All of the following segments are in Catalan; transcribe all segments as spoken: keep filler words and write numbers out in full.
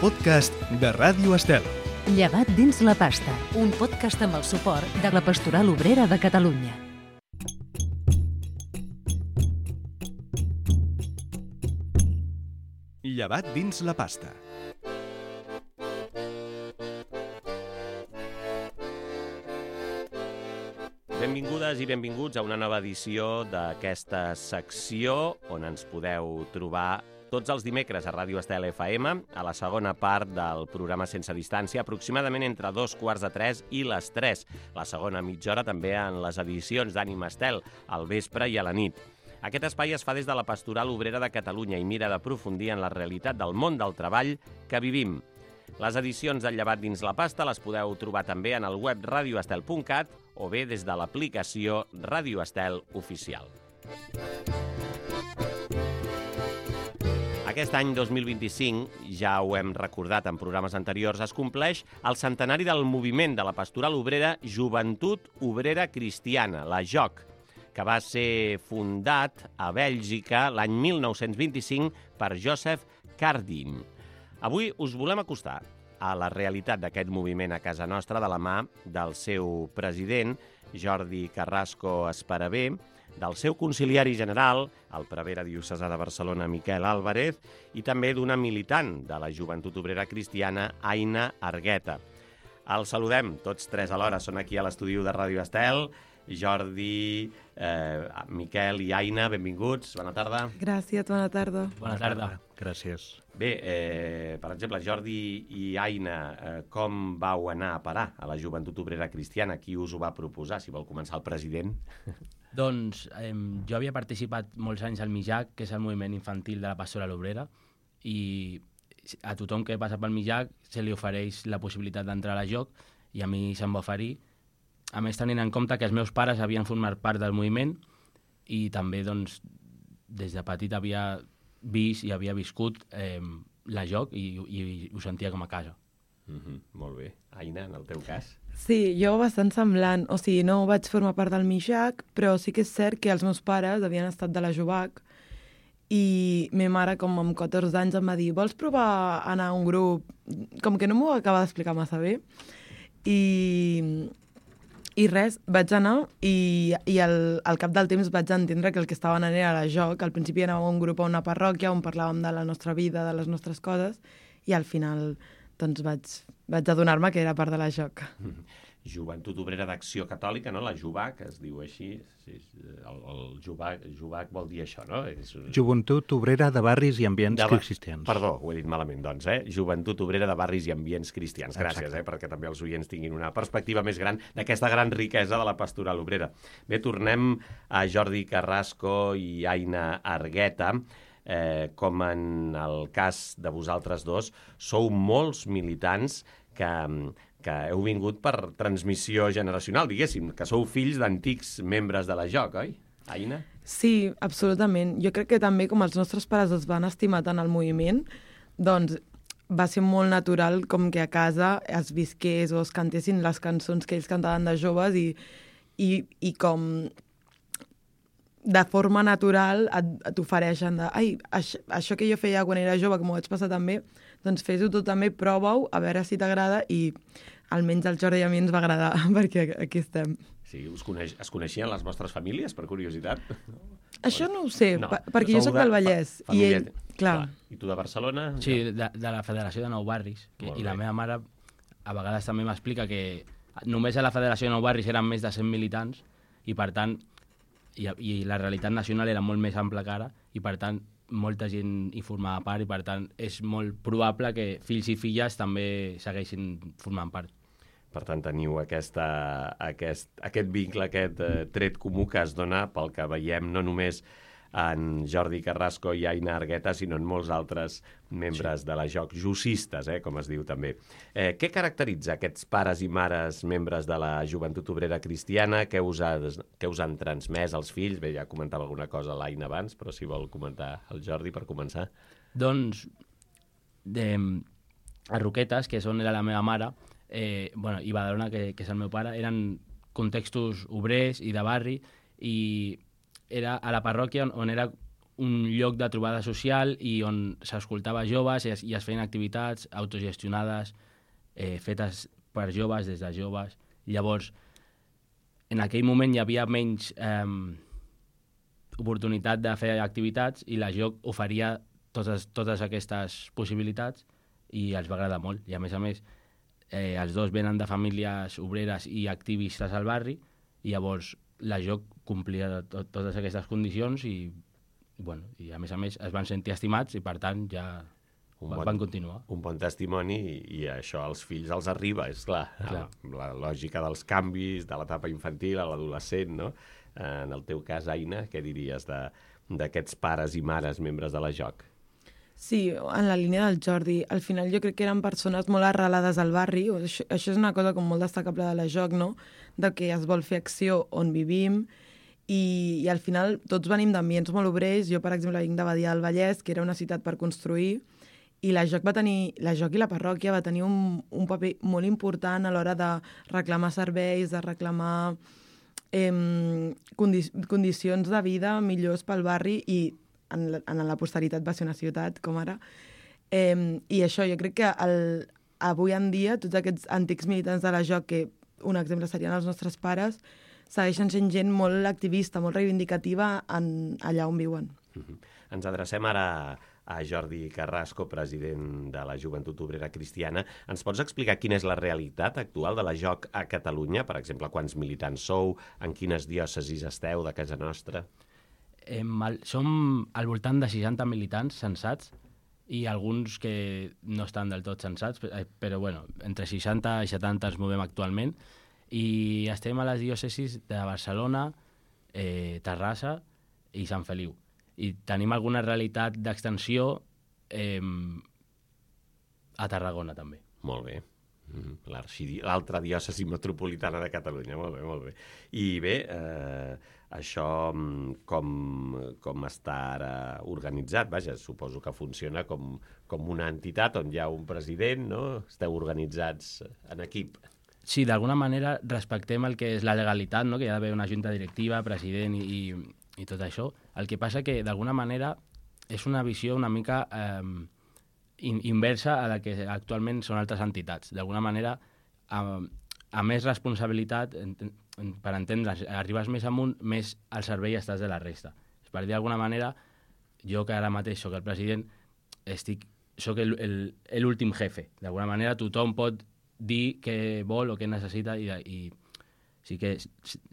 podcast de Ràdio Estel. Llevat dins la pasta, un podcast amb el suport de la Pastoral Obrera de Catalunya. Llevat dins la pasta. Benvingudes i benvinguts a una nova edició d'aquesta secció on ens podeu trobar tots els dimecres a Ràdio Estel F M, a la segona part del programa Sense Distància, aproximadament entre dos quarts de tres i les tres. La segona mitja hora també en les edicions d'Ànima Estel, al vespre i a la nit. Aquest espai es fa des de la Pastoral Obrera de Catalunya i mira d'aprofundir en la realitat del món del treball que vivim. Les edicions del Llevat dins la pasta les podeu trobar també en el web radioestel punt cat o bé des de l'aplicació Ràdio Estel Oficial. Aquest any dos mil vint-i-cinc, ja ho hem recordat en programes anteriors, es compleix el centenari del moviment de la Pastoral Obrera Joventut Obrera Cristiana, la J O C, que va ser fundat a Bèlgica l'any mil nou-cents vint-i-cinc per Joseph Cardin. Avui us volem acostar a la realitat d'aquest moviment a casa nostra de la mà del seu president, Jordi Carrasco Esparavé, del seu conciliari general, el prevere diocesà de Barcelona, Miquel Álvarez, i també d'una militant de la Joventut Obrera Cristiana, Aina Argueta. Els saludem tots tres alhora, són aquí a l'estudi de Ràdio Estel. Jordi, eh, Miquel i Aina, benvinguts, bona tarda. Gràcies, bona tarda. Bona tarda. Gràcies. Bé, eh, per exemple, Jordi i Aina, eh, com vau anar a parar a la Joventut Obrera Cristiana? Qui us ho va proposar? Si vol començar el president. Doncs eh, jo havia participat molts anys al MIJAC, que és el moviment infantil de la Pastoral Obrera, i a tothom que passa pel MIJAC se li ofereix la possibilitat d'entrar a la J O C, i a mi se'm va oferir. A més, tenint en compte que els meus pares havien format part del moviment i també, doncs, des de petit havia vist i havia viscut eh, la J O C i, i, i ho sentia com a casa. Mm-hmm, molt bé. Aina, en el teu cas? Sí, jo bastant semblant. O sigui, no vaig formar part del MIJAC, però sí que és cert que els meus pares havien estat de la Jovac i ma mare, com amb catorze anys, em va dir vols provar anar a un grup? Com que no m'ho acaba d'explicar massa bé. I... I res, vaig anar i, i al, al cap del temps vaig entendre que el que estava anant era la J O C. Al principi anàvem a un grup a una parròquia on parlàvem de la nostra vida, de les nostres coses, i al final doncs, vaig, vaig adonar-me que era part de la J O C. Joventut Obrera d'Acció Catòlica, no? La Jovac, es diu així. Sí, el el Jovac, Jovac vol dir això, no? És... Joventut Obrera de Barris i Ambients de... Cristians. Perdó, ho he dit malament, doncs, eh? Joventut Obrera de Barris i Ambients Cristians. Gràcies, Exacte. eh? Perquè també els oients tinguin una perspectiva més gran d'aquesta gran riquesa de la pastoral obrera. Bé, tornem a Jordi Carrasco i Aina Argueta. Eh, com en el cas de vosaltres dos, sou molts militants que, que heu vingut per transmissió generacional, diguéssim, que sou fills d'antics membres de la J O C, oi, Aina? Sí, absolutament. Jo crec que també, com els nostres pares es van estimar tant el moviment, doncs va ser molt natural com que a casa es visqués o es cantessin les cançons que ells cantaven de joves i, i, i com de forma natural et, et ofereixen de ai, això, això que jo feia quan era jove, que m'ho vaig passar també, doncs fes-ho tu també, prova-ho, a veure si t'agrada, i almenys al Jordi i a mi ens va agradar, perquè aquí estem. Sí, us coneix, es coneixien les vostres famílies, per curiositat? Això no ho sé, no, per, perquè jo sou soc del Vallès, fa, i ell, clar. clar. I tu de Barcelona? Sí, de, de la Federació de Nou Barris, que, i la bé. meva mare a vegades també m'explica que només a la Federació de Nou Barris eren més de cent militants, i per tant, i, i la realitat nacional era molt més ampla que ara, i per tant, molta gent hi formava part, i per tant, és molt probable que fills i filles també segueixin formant part. Per tant, teniu aquesta, aquest, aquest vincle, aquest eh, tret comú que es dona pel que veiem no només en Jordi Carrasco i Aina Argueta, sinó en molts altres membres sí. de la J O C, jussistes, eh, com es diu també. Eh, què caracteritza aquests pares i mares membres de la Joventut Obrera Cristiana? Què us, ha, què us han transmès els fills? Bé, ja comentava alguna cosa l'Aina abans, però si vol comentar el Jordi per començar. Doncs, de, a Roquetes, que és on era la meva mare, eh, bueno, i Badalona, que, que és el meu pare, eren contextos obrers i de barri, i era a la parròquia on, on era un lloc de trobada social i on s'escoltava joves i es, i es feien activitats autogestionades, eh, fetes per joves, des de joves. Llavors, en aquell moment hi havia menys eh, oportunitat de fer activitats i la joc oferia totes, totes aquestes possibilitats i els va agradar molt. I a més a més, eh, els dos venen de famílies obreres i activistes al barri i llavors la joc complia to totes aquestes condicions i, bueno, i a més a més es van sentir estimats i per tant ja un bon, van continuar. Un bon testimoni i, i això als fills els arriba, és clar. clar. La, la lògica dels canvis de l'etapa infantil a l'adolescent, no? En el teu cas, Aina, què diries d'aquests pares i mares membres de la joc? Sí, en la línia del Jordi. Al final jo crec que eren persones molt arrelades al barri. Això, això és una cosa com molt destacable de la joc, no? De que es vol fer acció on vivim i, i al final tots venim d'ambients molt obrers. Jo, per exemple, vinc de Badia del Vallès, que era una ciutat per construir, i la joc va tenir, la joc i la parròquia va tenir un, un paper molt important a l'hora de reclamar serveis, de reclamar eh, condi condicions de vida millors pel barri i en la, en la posteritat va ser una ciutat com ara. Eh, I això, jo crec que el, avui en dia tots aquests antics militants de la joc, que un exemple serien els nostres pares, segueixen sent gent molt activista, molt reivindicativa en, allà on viuen. Uh-huh. Ens adrecem ara a Jordi Carrasco, president de la Joventut Obrera Cristiana. Ens pots explicar quina és la realitat actual de la joc a Catalunya? Per exemple, quants militants sou? En quines diòcesis esteu de casa nostra? Eh, mal, som al voltant de seixanta militants censats i alguns que no estan del tot censats, però bueno, entre seixanta i setanta ens movem actualment i estem a les diòcesis de Barcelona, eh, Terrassa i Sant Feliu. I tenim alguna realitat d'extensió eh, a Tarragona també. Molt bé. L'altra diòcesi metropolitana de Catalunya, molt bé, molt bé. I bé, eh, això com, com està ara organitzat? Vaja, suposo que funciona com, com una entitat on hi ha un president, no? Esteu organitzats en equip. Sí, d'alguna manera respectem el que és la legalitat, no? Que hi ha d'haver una junta directiva, president i, i, i tot això. El que passa que d'alguna manera és una visió una mica eh, inversa a la que actualment són altres entitats. D'alguna manera, a, a més responsabilitat, en, en, per entendre's, arribes més amunt, més al servei estàs de la resta. Per dir d'alguna manera, jo que ara mateix soc el president, estic, soc l'últim jefe. D'alguna manera tothom pot dir què vol o què necessita i, i sí que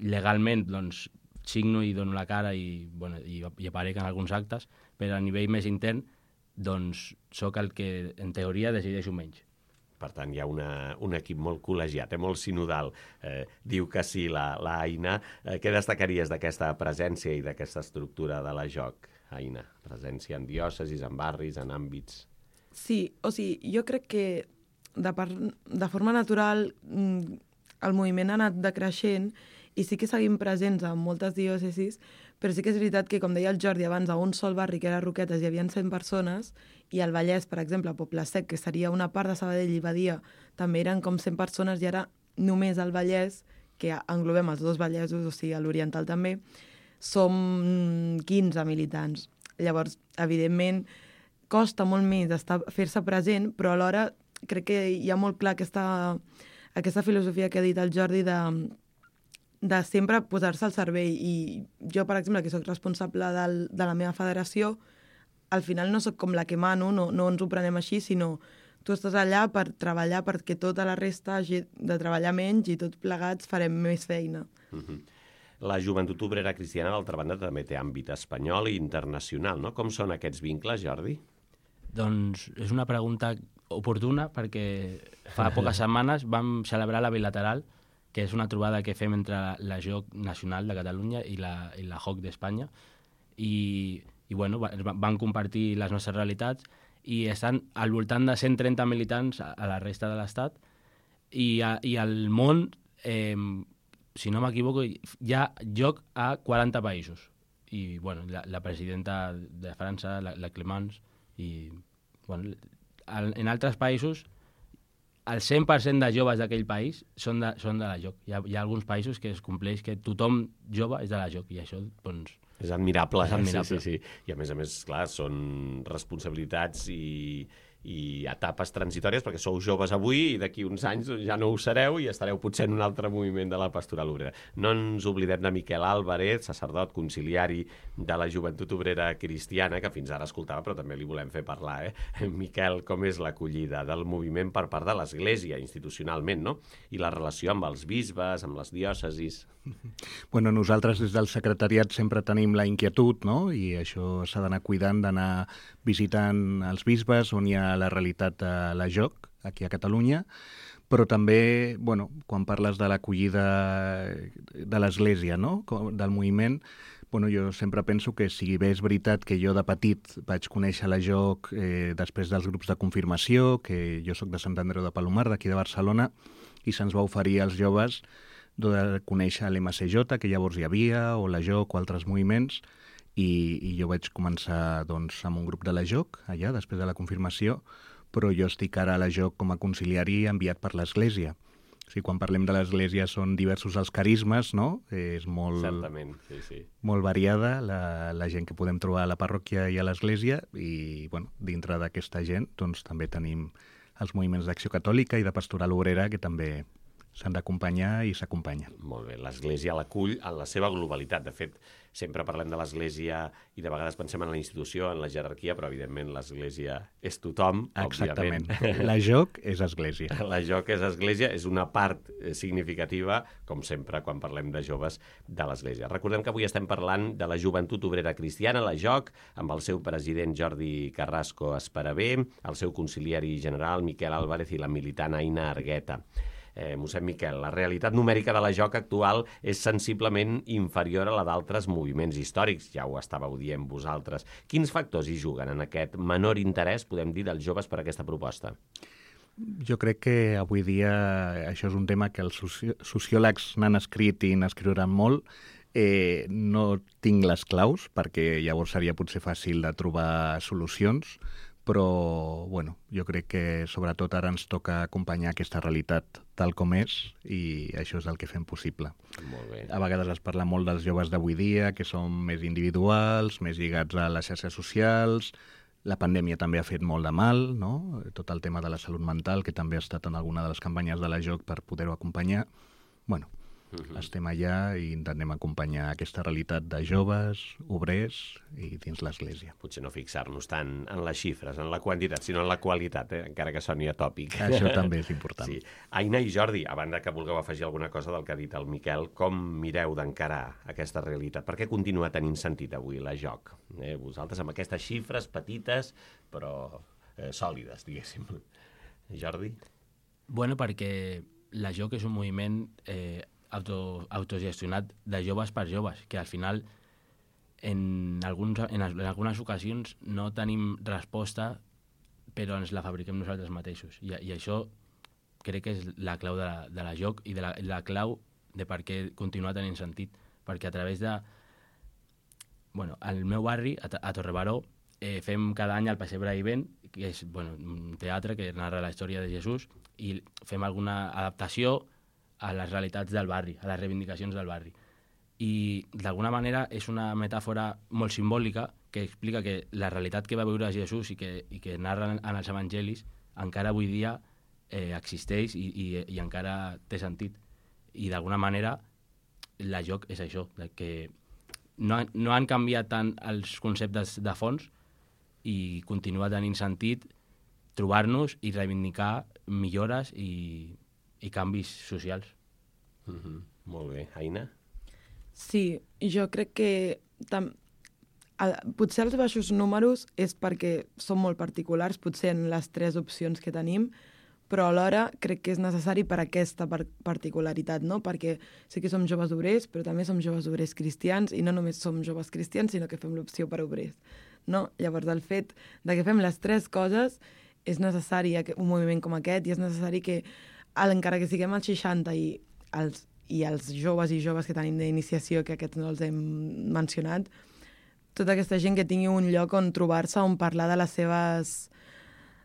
legalment doncs, signo i dono la cara i, bueno, i, i aparec en alguns actes, però a nivell més intern doncs sóc el que en teoria decideixo menys. Per tant, hi ha una, un equip molt col·legiat, eh, molt sinodal. Eh, diu que sí, la, la Aina. Eh, què destacaries d'aquesta presència i d'aquesta estructura de la joc, Aina? Presència en diòcesis, en barris, en àmbits... Sí, o sigui, jo crec que de, part, de forma natural el moviment ha anat decreixent i sí que seguim presents en moltes diòcesis, però sí que és veritat que, com deia el Jordi abans, a un sol barri, que era Roquetes, hi havia cent persones, i al Vallès, per exemple, a Poble Sec, que seria una part de Sabadell i Badia, també eren com cent persones, i ara només al Vallès, que englobem els dos Vallesos, o sigui, a l'Oriental també, som quinze militants. Llavors, evidentment, costa molt més fer-se present, però alhora crec que hi ha molt clar aquesta, aquesta filosofia que ha dit el Jordi de, de sempre posar-se al servei. I jo, per exemple, que sóc responsable del, de la meva federació, al final no sóc com la que mano, no, no ens ho prenem així, sinó tu estàs allà per treballar perquè tota la resta hagi de treballar menys i tots plegats farem més feina. Mm-hmm. La Joventut Obrera Cristiana, d'altra banda, també té àmbit espanyol i internacional, no? Com són aquests vincles, Jordi? Doncs és una pregunta oportuna perquè fa poques setmanes vam celebrar la bilateral, que és una trobada que fem entre la, la J O C Nacional de Catalunya i la, i la J O C d'Espanya, i, i bueno, van compartir les nostres realitats i estan al voltant de cent trenta militants a, a la resta de l'Estat i, a, i al món, eh, si no m'equivoco, hi ha joc a quaranta països. I bueno, la, la presidenta de França, la, la Clemence, i bueno, en altres països el cent per cent de joves d'aquell país són de, són de la joc. Hi ha, hi ha alguns països que es compleix que tothom jove és de la joc i això doncs, És admirable, És admirable. sí, sí, sí. I a més a més, clar, són responsabilitats i, i etapes transitòries, perquè sou joves avui i d'aquí uns anys ja no ho sereu i estareu potser en un altre moviment de la pastoral obrera. No ens oblidem de Miquel Álvarez, sacerdot conciliari de la Joventut Obrera Cristiana, que fins ara escoltava, però també li volem fer parlar. Eh? Miquel, com és l'acollida del moviment per part de l'Església, institucionalment, no? I la relació amb els bisbes, amb les diòcesis... Bueno, nosaltres des del secretariat sempre tenim la inquietud, no? I això s'ha d'anar cuidant, d'anar visitant els bisbes on hi ha la realitat de la J O C, aquí a Catalunya, però també, bueno, quan parles de l'acollida de l'Església, no? Del moviment, bueno, jo sempre penso que si bé és veritat que jo de petit vaig conèixer la J O C eh, després dels grups de confirmació, que jo sóc de Sant Andreu de Palomar, d'aquí de Barcelona, i se'ns va oferir als joves de conèixer l'M C J, que llavors hi havia, o la J O C o altres moviments, i, i jo vaig començar doncs, amb un grup de la J O C, allà, després de la confirmació, però jo estic ara a la J O C com a conciliari enviat per l'Església. O sigui, quan parlem de l'Església són diversos els carismes, no? És molt, Certament, sí, sí. molt variada la, la gent que podem trobar a la parròquia i a l'Església, i bueno, dintre d'aquesta gent doncs, també tenim els moviments d'Acció Catòlica i de Pastoral Obrera, que també s'han d'acompanyar i s'acompanyen. Molt bé, l'Església l'acull en la seva globalitat. De fet, sempre parlem de l'Església i de vegades pensem en la institució, en la jerarquia, però evidentment l'Església és tothom, Exactament. òbviament. La J O C és Església. La J O C és Església, és una part significativa, com sempre, quan parlem de joves de l'Església. Recordem que avui estem parlant de la Joventut Obrera Cristiana, la J O C, amb el seu president Jordi Carrasco Esperavé, el seu conciliari general Miquel Álvarez i la militant Aina Argueta. Eh, mossèn Miquel, la realitat numèrica de la J O C actual és sensiblement inferior a la d'altres moviments històrics, ja ho estàveu dient vosaltres. Quins factors hi juguen en aquest menor interès, podem dir, dels joves per aquesta proposta? Jo crec que avui dia això és un tema que els soci sociòlegs n'han escrit i n'escriuran molt. Eh, no tinc les claus, perquè llavors seria potser fàcil de trobar solucions, però bueno, jo crec que sobretot ara ens toca acompanyar aquesta realitat tal com és i això és el que fem possible. Molt bé. A vegades es parla molt dels joves d'avui dia, que són més individuals, més lligats a les xarxes socials. La pandèmia també ha fet molt de mal, no? Tot el tema de la salut mental, que també ha estat en alguna de les campanyes de la J O C per poder-ho acompanyar. Bueno, Uh-huh. Estem allà i intentem acompanyar aquesta realitat de joves, obrers i dins l'Església. Potser no fixar-nos tant en les xifres, en la quantitat, sinó en la qualitat, eh? Encara que soni atòpic. Això també és important. Sí. Aina i Jordi, a banda que vulgueu afegir alguna cosa del que ha dit el Miquel, com mireu d'encarar aquesta realitat? Per què continua tenint sentit avui la J O C? Eh, vosaltres amb aquestes xifres petites, però eh, sòlides, diguéssim. Jordi? Bueno, perquè la J O C és un moviment eh, auto, autogestionat de joves per joves, que al final en, alguns, en, en algunes ocasions no tenim resposta, però ens la fabriquem nosaltres mateixos. I, i això crec que és la clau de la, de la J O C i de la, la clau de per què continua tenint sentit. Perquè a través de... Bueno, al meu barri, a, a Torrebaró, eh, fem cada any el Pessebre Vivent, que és bueno, un teatre que narra la història de Jesús, i fem alguna adaptació a les realitats del barri, a les reivindicacions del barri. I d'alguna manera és una metàfora molt simbòlica que explica que la realitat que va viure Jesús i que, i que narra en els evangelis encara avui dia eh, existeix i, i, i encara té sentit. I d'alguna manera la J O C és això, que no, no han canviat tant els conceptes de fons i continua tenint sentit trobar-nos i reivindicar millores i i canvis socials. Mm-hmm. Molt bé. Aina? Sí, jo crec que tam... el, potser els baixos números és perquè són molt particulars, potser en les tres opcions que tenim, però alhora crec que és necessari per aquesta par particularitat, no? Perquè sí que som joves obrers, però també som joves obrers cristians, i no només som joves cristians, sinó que fem l'opció per obrers, no? Llavors, el fet de que fem les tres coses és necessari un moviment com aquest, i és necessari que encara que siguem als seixanta i els, i els joves i joves que tenim d'iniciació, que aquests no els hem mencionat, tota aquesta gent que tingui un lloc on trobar-se, on parlar de les seves,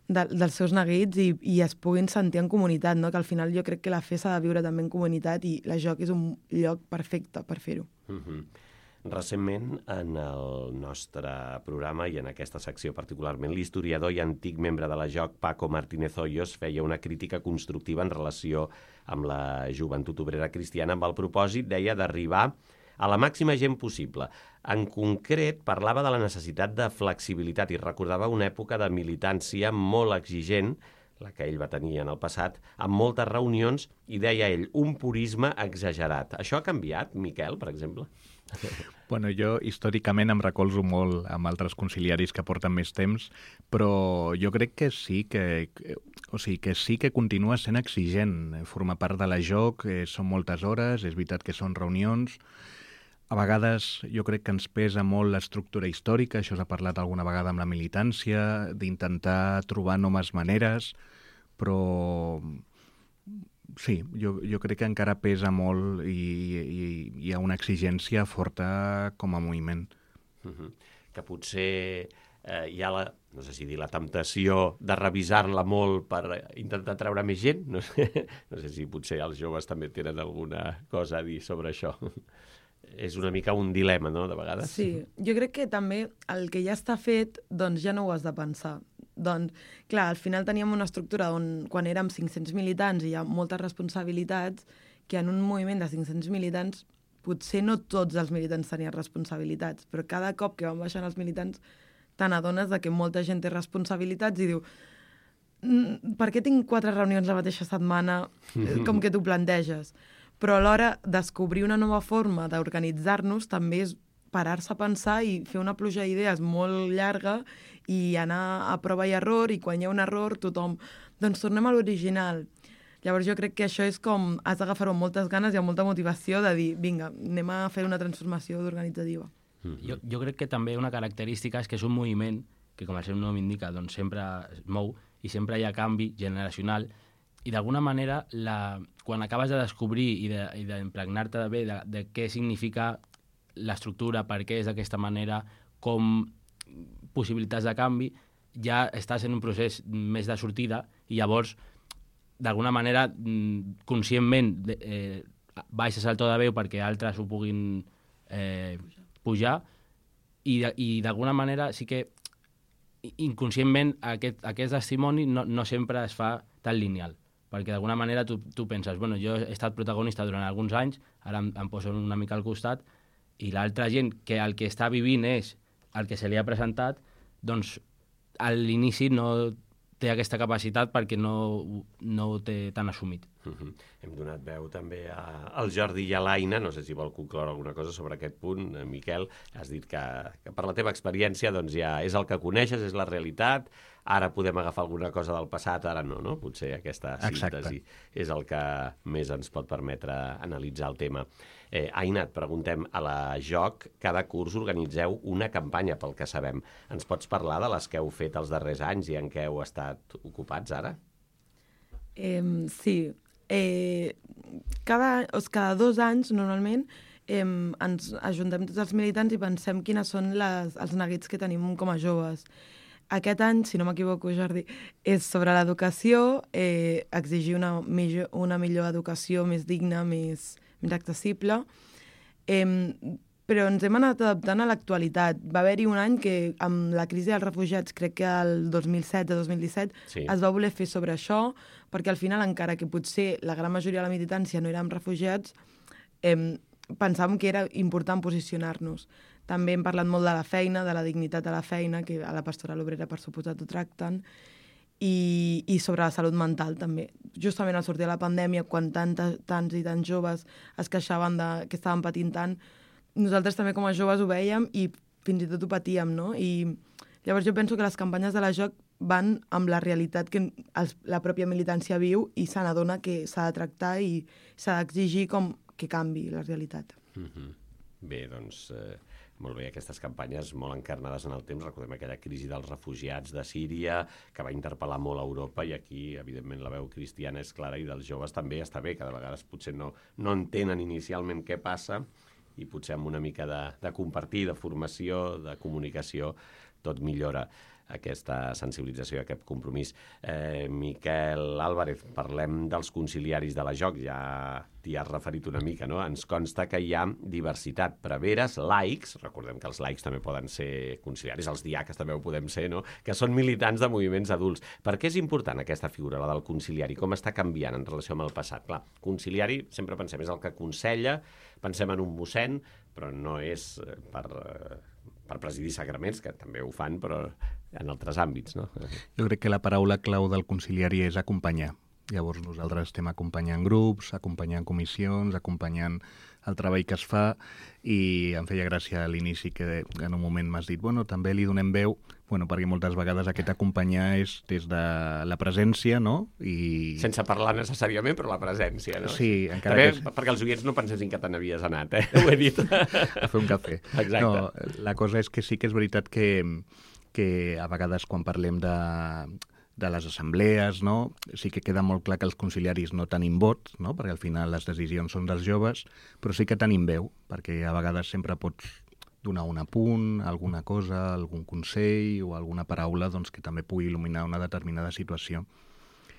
de, dels seus neguits i, i es puguin sentir en comunitat, no? Que al final jo crec que la fe s'ha de viure també en comunitat i la J O C és un lloc perfecte per fer-ho. Mm-hmm. Recentment, en el nostre programa i en aquesta secció particularment, l'historiador i antic membre de la J O C, Paco Martínez Hoyos, feia una crítica constructiva en relació amb la joventut obrera cristiana amb el propòsit, deia, d'arribar a la màxima gent possible. En concret, parlava de la necessitat de flexibilitat i recordava una època de militància molt exigent, la que ell va tenir en el passat, amb moltes reunions, i deia ell, un purisme exagerat. Això ha canviat, Miquel, per exemple? Bueno, jo històricament em recolzo molt amb altres conciliaris que porten més temps, però jo crec que sí que, o sigui, que sí que continua sent exigent. Formar part de la J O C, eh, són moltes hores, és veritat que són reunions. A vegades jo crec que ens pesa molt l'estructura històrica, això s'ha parlat alguna vegada amb la militància, d'intentar trobar noves maneres, però sí, jo, jo crec que encara pesa molt i, i hi ha una exigència forta com a moviment. Uh-huh. Que potser eh, hi ha la, no sé si dir, la temptació de revisar-la molt per intentar treure més gent. No sé, no sé si potser els joves també tenen alguna cosa a dir sobre això. És una mica un dilema, no?, de vegades. Sí, jo crec que també el que ja està fet, doncs ja no ho has de pensar. Doncs, clar, al final teníem una estructura on, quan érem cinc-cents militants i hi ha moltes responsabilitats, que en un moviment de cinc-cents militants potser no tots els militants tenien responsabilitats, però cada cop que van baixant els militants te n'adones de que molta gent té responsabilitats i diu, per què tinc quatre reunions la mateixa setmana, com que t'ho planteges? Però alhora descobrir una nova forma d'organitzar-nos també és parar-se a pensar i fer una pluja d'idees molt llarga i anar a prova i error, i quan hi ha un error tothom, doncs tornem a l'original. Llavors jo crec que això és com, has d'agafar-ho amb moltes ganes i amb molta motivació de dir, vinga, anem a fer una transformació organitzativa. Mm-hmm. Jo, jo crec que també una característica és que és un moviment que, com el seu nom indica, doncs sempre es mou i sempre hi ha canvi generacional i d'alguna manera, la, quan acabes de descobrir i d'impregnar-te de, bé de, de què significa l'estructura, per què és d'aquesta manera, com possibilitats de canvi, ja estàs en un procés més de sortida i llavors, d'alguna manera, conscientment, eh, baixes el to de veu perquè altres ho puguin eh, pujar i, i d'alguna manera sí que inconscientment aquest, aquest testimoni no, no sempre es fa tan lineal, perquè d'alguna manera tu, tu penses, bueno, jo he estat protagonista durant alguns anys, ara em, em poso una mica al costat, i l'altra gent que el que està vivint és el que se li ha presentat, doncs a l'inici no té aquesta capacitat perquè no, no ho té tan assumit. Uh-huh. Hem donat veu també a, al Jordi i a l'Aina, no sé si vol concloure alguna cosa sobre aquest punt, Miquel. Has dit que, que per la teva experiència doncs ja és el que coneixes, és la realitat, ara podem agafar alguna cosa del passat, ara no, no? Potser aquesta síntesi Exacte. És el que més ens pot permetre analitzar el tema. Eh, Aina, et preguntem, a la J O C cada curs organitzeu una campanya, pel que sabem. Ens pots parlar de les que heu fet els darrers anys i en què heu estat ocupats ara? Eh, sí. Eh, cada, o sigui, cada dos anys, normalment, eh, ens ajuntem tots els militants i pensem quines són les, els neguits que tenim com a joves. Aquest any, si no m'equivoco, Jordi, és sobre l'educació, eh, exigir una millor, una millor educació més digna, més, més accessible, eh, però ens hem anat adaptant a l'actualitat. Va haver-hi un any que, amb la crisi dels refugiats, crec que el dos mil setze dos mil disset, sí. es va voler fer sobre això, perquè al final, encara que potser la gran majoria de la militància no érem refugiats, eh, pensàvem que era important posicionar-nos. També hem parlat molt de la feina, de la dignitat de la feina, que a la Pastoral Obrera, per suposat, ho tracten, i, i sobre la salut mental, també. Justament al sortir de la pandèmia, quan tanta, tants i tants joves es queixaven de, que estaven patint tant, nosaltres també com a joves ho vèiem i fins i tot ho patíem, no? I llavors jo penso que les campanyes de la J O C van amb la realitat que els, la pròpia militància viu i se n'adona que s'ha de tractar i s'ha d'exigir com que canvi la realitat. Mm-hmm. Bé, doncs... Eh... Molt bé, aquestes campanyes molt encarnades en el temps. Recordem aquella crisi dels refugiats de Síria, que va interpel·lar molt a Europa, i aquí, evidentment, la veu cristiana és clara, i dels joves també està bé, que de vegades potser no, no entenen inicialment què passa, i potser amb una mica de, de compartir, de formació, de comunicació, tot millora. aquesta sensibilització i aquest compromís. Eh, Miquel Álvarez, parlem dels conciliaris de la J O C, ja t'hi has referit una mica, no? Ens consta que hi ha diversitat, preveres, laics, recordem que els laics també poden ser conciliaris, els diaques també ho podem ser, no? Que són militants de moviments adults. Per què és important aquesta figura, la del conciliari? Com està canviant en relació amb el passat? Clar, conciliari, sempre pensem, és el que aconsella, pensem en un mossèn, però no és per... per presidir sagraments, que també ho fan, però en altres àmbits, no? Jo crec que la paraula clau del conciliari és acompanyar. Llavors nosaltres estem acompanyant grups, acompanyant comissions, acompanyant el treball que es fa, i em feia gràcia a l'inici que en un moment m'has dit, bueno, també li donem veu, bueno, perquè moltes vegades aquest acompanyar és des de la presència, no? I... Sense parlar necessàriament, però la presència, no? Sí, encara també, que... És... perquè els oients no pensessin que te n'havies anat, eh? Ho he dit. A fer un cafè. Exacte. No, la cosa és que sí que és veritat que, que a vegades quan parlem de, de les assemblees, no? Sí que queda molt clar que els conciliaris no tenim vot, no? Perquè al final les decisions són dels joves, però sí que tenim veu, perquè a vegades sempre pots donar un apunt, alguna cosa, algun consell o alguna paraula doncs, que també pugui il·luminar una determinada situació.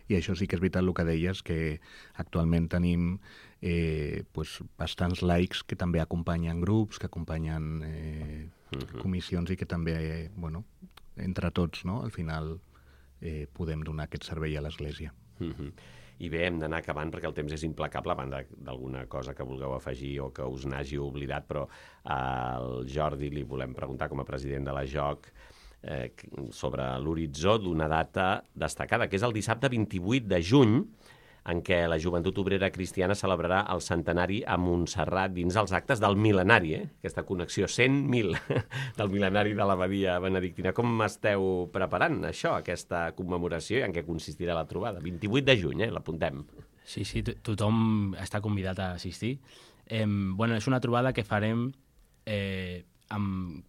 I això sí que és veritat el que deies, que actualment tenim eh, pues, bastants laics que també acompanyen grups, que acompanyen eh, uh-huh. comissions i que també, eh, bueno, entre tots, no? Al final eh, podem donar aquest servei a l'Església. Uh-huh. I bé, hem d'anar acabant perquè el temps és implacable, a banda d'alguna cosa que vulgueu afegir o que us n'hagi oblidat, però al Jordi li volem preguntar, com a president de la J O C, eh, sobre l'horitzó d'una data destacada, que és el dissabte vint-i-vuit de juny, en què la Joventut Obrera Cristiana celebrarà el centenari a Montserrat dins els actes del mil·lenari, eh? Aquesta connexió cent mil del mil·lenari de l'abadia benedictina. Com esteu preparant això, aquesta commemoració, i en què consistirà la trobada? vint-i-vuit de juny, eh? L'apuntem. Sí, sí, tothom està convidat a assistir. Eh, bueno, és una trobada que farem eh, amb...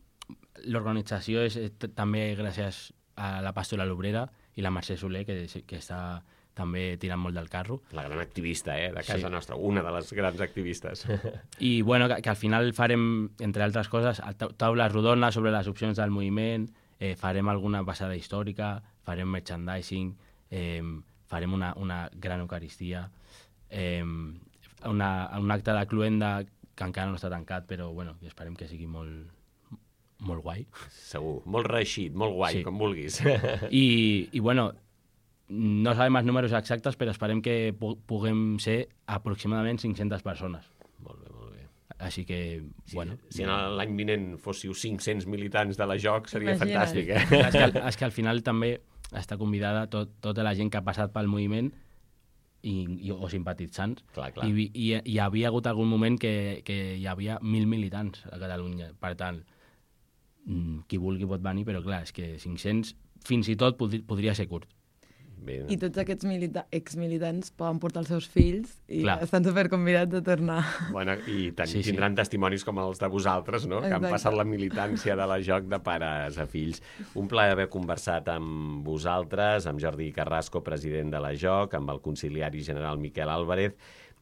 L'organització és eh, també gràcies a la Pastoral Obrera i la Mercè Soler, que, que està també tirant molt del carro. La gran activista, eh, de casa sí. nostra, una de les grans activistes. I, bueno, que, que al final farem, entre altres coses, taules rodones sobre les opcions del moviment, eh, farem alguna passada històrica, farem merchandising, eh, farem una, una gran eucaristia, eh, una, un acte de cluenda que encara no està tancat, però, bueno, esperem que sigui molt, molt guai. Segur, molt reeixit, molt guai, sí. Com vulguis. I, i bueno, no sabem els números exactes, però esperem que pu puguem ser aproximadament cinc-centes persones. Molt bé, molt bé. Així que, sí, bueno... Si l'any vinent fóssiu cinc-cents militants de la J O C seria Imagina't. Fantàstic, eh? És que, és que al final també està convidada tot, tota la gent que ha passat pel moviment i, i, o simpatitzants. Clar, clar. I, i, i hi havia hagut algun moment que, que hi havia mil militants a Catalunya. Per tant, qui vulgui pot venir, però clar, és que cinc-cents fins i tot podri, podria ser curt. Bé. I tots aquests milita exmilitants poden portar els seus fills i clar. Estan superconvidats a tornar. Bueno, i sí, sí. tindran testimonis com els de vosaltres, no? Exacte. Que han passat la militància de la J O C de pares a fills. Un plaer haver conversat amb vosaltres, amb Jordi Carrasco, president de la J O C, amb el conciliari general Miquel Álvarez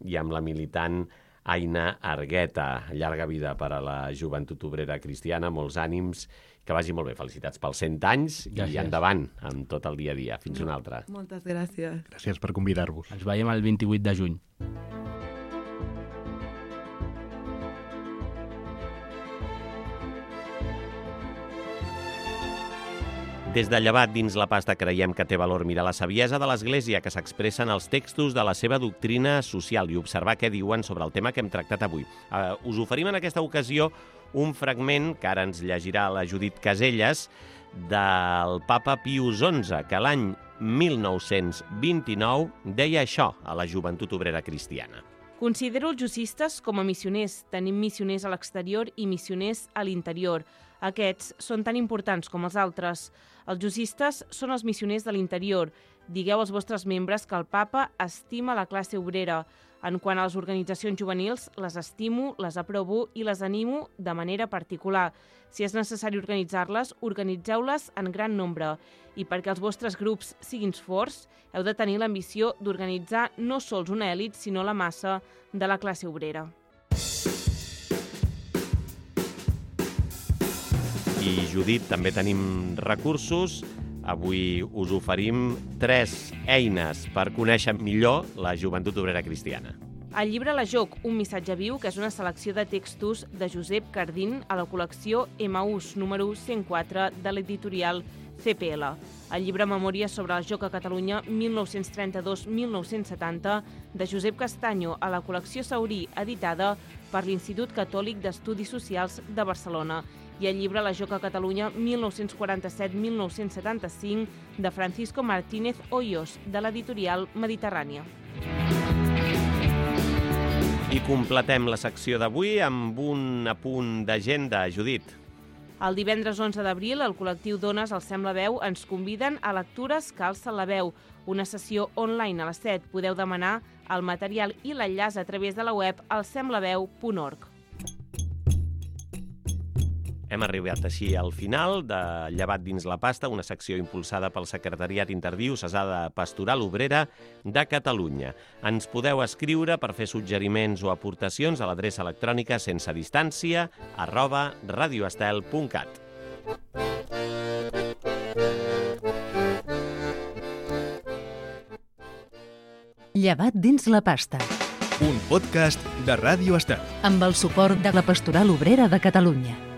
i amb la militant Aina Argueta. Llarga vida per a la Joventut Obrera Cristiana, molts ànims, que vagi molt bé. Felicitats pels cent anys gràcies. I endavant amb tot el dia a dia. Fins una altra. Moltes gràcies. Gràcies per convidar-vos. Ens veiem el vint-i-vuit de juny. Des de Llevat dins la pasta creiem que té valor mirar la saviesa de l'Església que s'expressa en els textos de la seva doctrina social i observar què diuen sobre el tema que hem tractat avui. Uh, us oferim en aquesta ocasió un fragment que ara ens llegirà la Judit Caselles del papa Pius onze, que l'any mil nou-cents vint-i-nou deia això a la Joventut Obrera Cristiana. Considero els jussistes com a missioners. Tenim missioners a l'exterior i missioners a l'interior. Aquests són tan importants com els altres. Els jussistes són els missioners de l'interior. Digueu als vostres membres que el papa estima la classe obrera. En quant a les organitzacions juvenils, les estimo, les aprovo i les animo de manera particular. Si és necessari organitzar-les, organitzeu-les en gran nombre. I perquè els vostres grups siguin forts, heu de tenir l'ambició d'organitzar no sols una èlit, sinó la massa de la classe obrera. I Judit també tenim recursos. Avui us oferim tres eines per conèixer millor la Joventut Obrera Cristiana. El llibre La Joc, un missatge viu, que és una selecció de textos de Josep Cardín a la col·lecció Emaús, número cent quatre de l'editorial C P L. El llibre Memòries sobre la Joc a Catalunya mil nou-cents trenta-dos a mil nou-cents setanta de Josep Castanyo a la col·lecció Saurí, editada per l'Institut Catòlic d'Estudis Socials de Barcelona, i el llibre La Joc a Catalunya mil nou-cents quaranta-set a mil nou-cents setanta-cinc de Francisco Martínez Hoyos, de l'editorial Mediterrània. I completem la secció d'avui amb un apunt d'agenda, Judit. El divendres onze d'abril, el col·lectiu Dones al Sem la Veu ens conviden a Lectures que alcen la veu, una sessió online a les set. Podeu demanar el material i l'enllaç a través de la web al sem la veu punt org. Hem arribat així al final de Llevat dins la pasta, una secció impulsada pel Secretariat Interdiocesà de Pastoral Obrera de Catalunya. Ens podeu escriure per fer suggeriments o aportacions a l'adreça electrònica sense distància arroba radioestel punt cat. Llevat dins la pasta. Un podcast de Ràdio Estel. Amb el suport de la Pastoral Obrera de Catalunya.